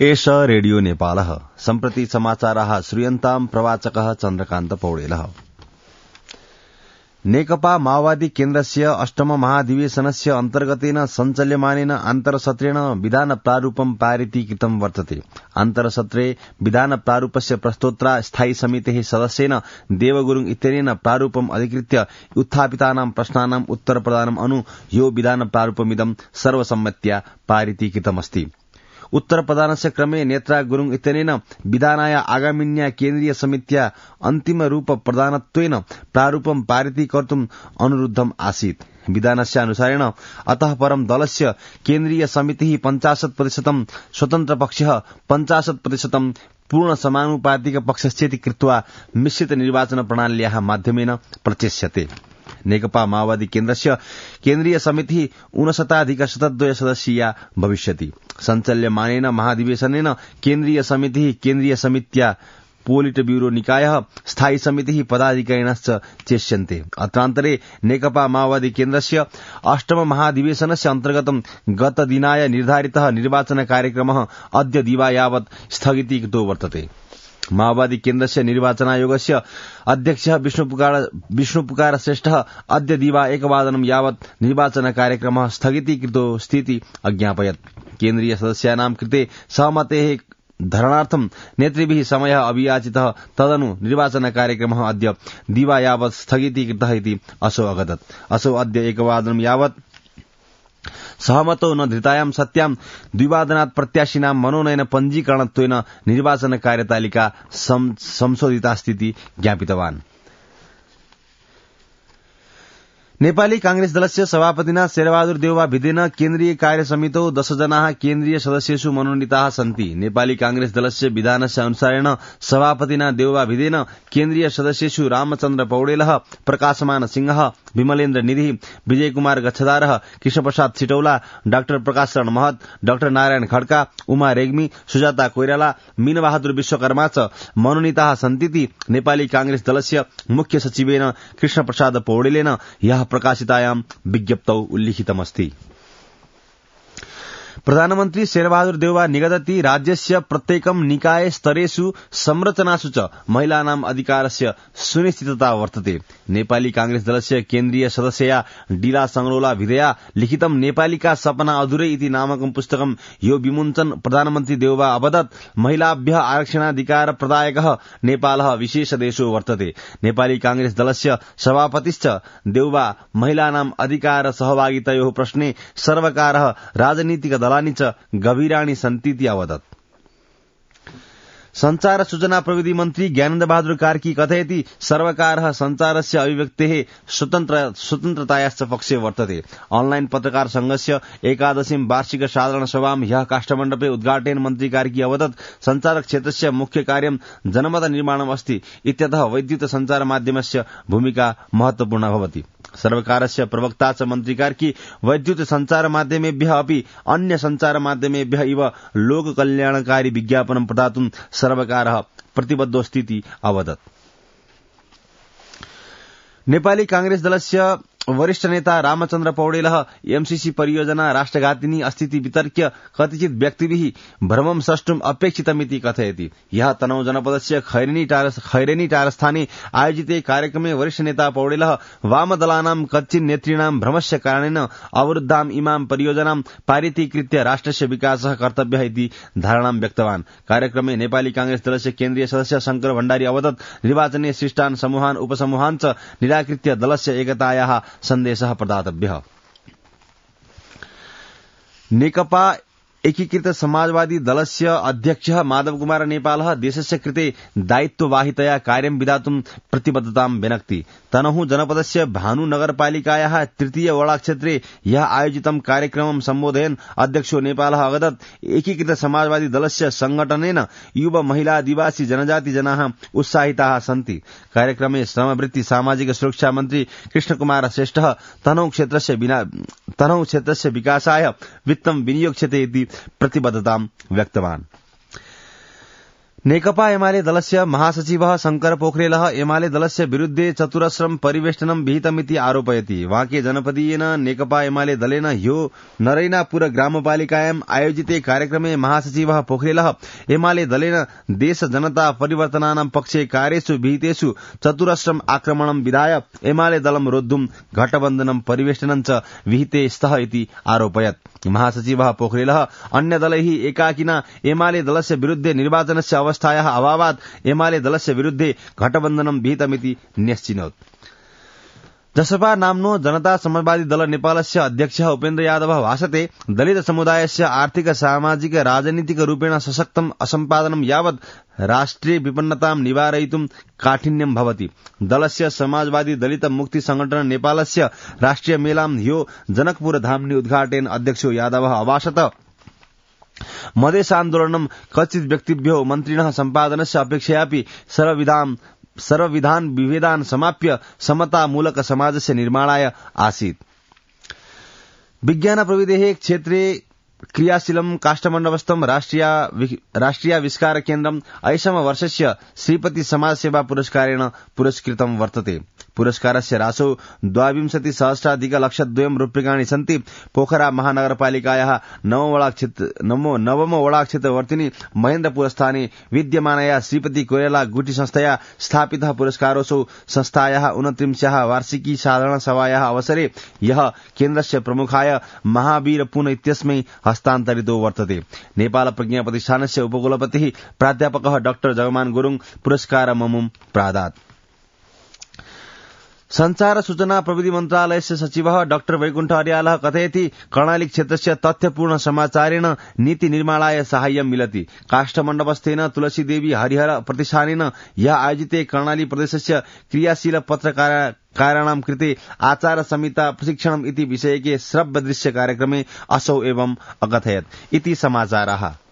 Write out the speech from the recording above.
एष रेडियो नेपालः सम्प्रति समाचाराः श्रूयन्ताम् प्रवाचकः चन्द्रकान्त पौडेलः। नेकपा माओवादी केन्द्रस्य अष्टम महाधिवेशनस्य अन्तर्गतेन सञ्चाल्यमानेन आन्तरसत्रेण विधान प्रारूपं पारितीकृतं वर्तते। आन्तरसत्रे विधान प्रारूपस्य प्रस्तोत्रा स्थायी समितेः सदस्येन देवगुरुङ इत्यनेन प्रारूपम् अधिकृत्य उत्थापितानां प्रश्नानाम् उत्तरप्रदानम् अनु यो विधान प्रारूपमिदं सर्वसम्मत्या पारितीकृतमस्ति। उत्तरप्रदानस्य क्रमे नेत्रा गुरुङ इत्यनेन विधानाय आगामिन्या केन्द्रीय समित्या अन्तिम रूप प्रदानत्वेन प्रारूपं पारितीकर्तुम् अनुरुद्धम् आसीत्। विधानस्य अनुसारेण अतः परं दलस्य केन्द्रीय समितिः 50% स्वतन्त्र पक्षः 50% पूर्ण समानुपातिक पक्षश्चेति कृत्वा मिश्रित निर्वाचन प्रणाल्याः माध्यमेन प्रचेष्यते। नेकपा माओवादी केन्द्रस्य केन्द्रीय समितिः 59,102 सदस्यीया भविष्यति। सञ्चाल्यमानेन महाधिवेशनेन केन्द्रीय समितिः केन्द्रीय समित्या पोलिट ब्यूरो निकायः स्थायी समितिः पदाधिकारिणश्च चेष्यन्ते। अत्रान्तरे नेकपा माओवादी केन्द्रस्य अष्टम महाधिवेशनस्य अन्तर्गतं गतदिनाय निर्धारितः निर्वाचन कार्यक्रमः अद्य दिवा यावत् स्थगितीकृतो वर्तते। माओवादी केन्द्रस्य निर्वाचनायोगस्य अध्यक्षः विष्णुपुकार श्रेष्ठः अद्य दिवा 1 यावत् निर्वाचन कार्यक्रमः स्थगितीकृतो स्थिति अज्ञापयत्। केन्द्रीय सदस्यानां कृते सहमतेः धरणार्थं नेतृभिः समयः अभियाचितः, तदनु निर्वाचन कार्यक्रमः अद्य दिवा यावत् स्थगितीकृतः इति असौ अगदत्। असौ अद्य 1 यावत् सहमतो न धृतायां सत्यां 2 प्रत्याशिनां मनोनयन पञ्जीकरणत्वेन निर्वाचन कार्यतालिका संशोधितास्तीति ज्ञापितवान्। नेपाली कांग्रेस दलस्य सभापतिना शेरबहादुर देउवा भिदेन केन्द्रीय कार्यसमितौ 10 जनाः केन्द्रीय सदस्येषु मनोनीताः सन्ति। नेपाली कांग्रेस दलस्य विधानस्य अनुसारेण सभापतिना देउवा भिदेन केन्द्रीय सदस्येषु रामचन्द्र पौडेलः, प्रकाशमान सिंहः, विमलेन्द्र निधि, विजय कुमार गच्छदारः, कृष्णप्रसाद सिटौला, डाक्टर प्रकाश शरण महत, डाक्टर नारायण खड्का, उमा रेग्मी, सुजाता कोइराला, मीनबहादुर विश्वकर्मा च मनोनीताः सन्तीति नेपाली कांग्रेस दलस्य मुख्य सचिवेन कृष्णप्रसाद पौडेलेन यः प्रकाशितायां विज्ञप्तौ उल्लिखितमस्ति। प्रधानमन्त्री शेरबहादुर देउवा निगदति राज्यस्य प्रत्येकं निकाय स्तरेषु संरचनासु च महिलानाम् अधिकारस्य सुनिश्चितता वर्तते। नेपाली कांग्रेस दलस्य केन्द्रीय सदस्यया डीला संगरोला भिदया लिखितं नेपालीका सपना अधुरै इति नामकं पुस्तकं यो विमुञ्चन प्रधानमन्त्री देउवा अवदत् महिलाभ्यः आरक्षणाधिकार प्रदायकः नेपालः विशेष देशो वर्तते। नेपाली कांग्रेस दलस्य सभापतिश्च देउवा महिलानाम् अधिकार सहभागितायोः प्रश्ने सर्वकारः राजनीतिक दलानि च गभीराणि सन्तीति अवदत्। संचार सूचना प्रविधि मन्त्री ज्ञानेन्द्र बहादुर कार्की कथयति सर्वकारः संचारस्य अभिव्यक्तेः स्वतन्त्रतायाश्च पक्षे वर्तते। ऑनलाइन पत्रकार संघस्य 11वीं वार्षिक साधारण सभां ह्यः काष्ठमण्डपे उद्घाटयन् मन्त्री कार्की अवदत् संचार क्षेत्रस्य मुख्य कार्यं जनमत निर्माणम् अस्ति इत्यतः वैद्युत संचार माध्यमस्य भूमिका महत्वपूर्णा भवति। सर्वकारस्य प्रवक्ता च मन्त्री कार्की वैद्युत संचार माध्यमेभ्यः अपि अन्य संचार माध्यमेभ्यः इव लोककल्याणकारी विज्ञापनं प्रदातुं सर्वकारः प्रतिबद्धोऽस्तीति अवदत्। नेपाली कांग्रेस दलस्य वरिष्ठ नेता रामचन्द्र पौडेलः एमसीसी परियोजना राष्ट्रघातिनी अस्तीति वितर्क्य कतिचित व्यक्तिभिः भ्रमं सृष्टुम् अपेक्षितमिति कथयति। यः तनहु जनपदस्य खैरेनी टारस्थाने आयोजिते कार्यक्रमे वरिष्ठ नेता पौडेलः वामदलानां कच्चिन् नेतॄणां भ्रमस्य कारणेन अवरुद्धाम् इमां परियोजनां पारितीकृत्य राष्ट्रस्य विकासः कर्तव्यः इति धारणां व्यक्तवान्। कार्यक्रमे नेपाली कांग्रेस दलस्य केन्द्रीय सदस्य शंकर भण्डारी अवदत् निर्वाचने सृष्टान् समूहान् उपसमूहान् च निराकृत्य दलस्य एकतायाः सन्देशः प्रदातव्यः। नेकपा एकीकृत समाजवादी दलस्य अध्यक्षः माधव कुमार नेपालः देशस्य कृते दायित्ववाहितया कार्यं विधातुं प्रतिबद्धतां व्यनक्ति। तनहु जनपदस्य भानु नगरपालिकायाः 3 वडा क्षेत्रे यः आयोजितं कार्यक्रमं सम्बोधयन् अध्यक्षो नेपालः अवदत् एकीकृत समाजवादी दलस्य संगठनेन युवा महिला आदिवासी जनजाति जनाः उत्साहिताः सन्ति। कार्यक्रमे श्रमवृत्ति सामाजिक सुरक्षा मन्त्री कृष्णकुमार श्रेष्ठः तनहु क्षेत्रस्य विकासाय वित्तं विनियोक्ष्यते इति प्रतिबद्धतां व्यक्तवान्। नेकपा एमाले दलस्य महासचिवः शंकर पोखरेलः एमाले दलस्य विरुद्धे चतुरस्रं परिवेष्टनं विहितमिति आरोपयति। वांके जनपदीयेन नेकपा एमाले दलेन ह्यो नरैनापुर ग्रामपालिकायां आयोजिते कार्यक्रमे महासचिवः पोखरेलः एमाले दलेन देश जनता परिवर्तनानां पक्षे कार्येषु विहितेषु चतुरस्रं आक्रमणं विधाय एमाले दलं रोद्धुं घटबन्धनं परिवेष्टनं च विहिते स्तः इति आरोपयत्। महासचिवः पोखरेलः अन्य दलैः एकाकिना एमाले दलस्य विरुद्धे निर्वाचनस्य अवस्थायाः अभावात् एमाले दलस्य विरुद्धे घटबन्धनं विहितमिति न्यश्चिनोत्। जसपा नाम्नो जनता समाजवादी दल नेपालस्य अध्यक्षः उपेन्द्र यादवः भाषते दलित समुदायस्य आर्थिक सामाजिक राजनीतिक रूपेण सशक्तम् असम्पादनं यावत् राष्ट्रिय विपन्नतां निवारयितुं काठिन्यं भवति। दलस्य समाजवादी दलित मुक्ति संगठन नेपालस्य राष्ट्रिय मेलां ह्यो जनकपुर धाम्नि उद्घाटयन् अध्यक्षो यादवः अभाषत मधेसान्दोलनं कचित् व्यक्तिभ्यो मन्त्रिणः सम्पादनस्य अपेक्षयापि सर्वविधान विभेदान् समाप्य समतामूलक समाजस्य निर्माणाय आसीत्। विज्ञान प्रविधेः क्षेत्रे क्रियाशीलं काष्ठमण्डपस्थं राष्ट्रियाविष्कार केन्द्रम् ऐषम वर्षस्य श्रीपति समाजसेवा पुरस्कारेण पुरस्कृतं वर्तते। पुरस्कारस्य राशौ 22,00,00,2 रूप्यकाणि सन्ति। पोखरा महानगरपालिकायाः नवम वडा क्षेत्रवर्तिनी महेन्द्रपुरस्थाने विद्यमानया श्रीपति कोइराला गुटी संस्थया स्थापितः पुरस्कारोऽसौ संस्थायाः 29 वार्षिकी साधारण सभायाः अवसरे यः केन्द्रस्य प्रमुखाय महावीर पुन इत्यस्मै हस्तान्तरितो वर्तते। नेपाल प्रज्ञा प्रतिष्ठानस्य उपकुलपतिः प्राध्यापकः डाक्टर जगमान गुरुङ पुरस्कारममुं प्रादात्। संचार सूचना प्रविधि मन्त्रालयस्य सचिवः डाक्टर वैकुण्ठ अर्यालः कथयति कर्णाली क्षेत्रस्य तथ्यपूर्ण समाचारेण नीति निर्माणाय साहाय्यं मिलति। काष्ठमण्डपस्थेन तुलसीदेवी हरिहर प्रतिष्ठानेन यः आयोजिते कर्णाली प्रदेशस्य क्रियाशील पत्रकाराणां कृते आचार संहिता प्रशिक्षणम् इति विषयके श्रव्य दृश्य कार्यक्रमे असौ एवं अकथयत् इति समाचाराः।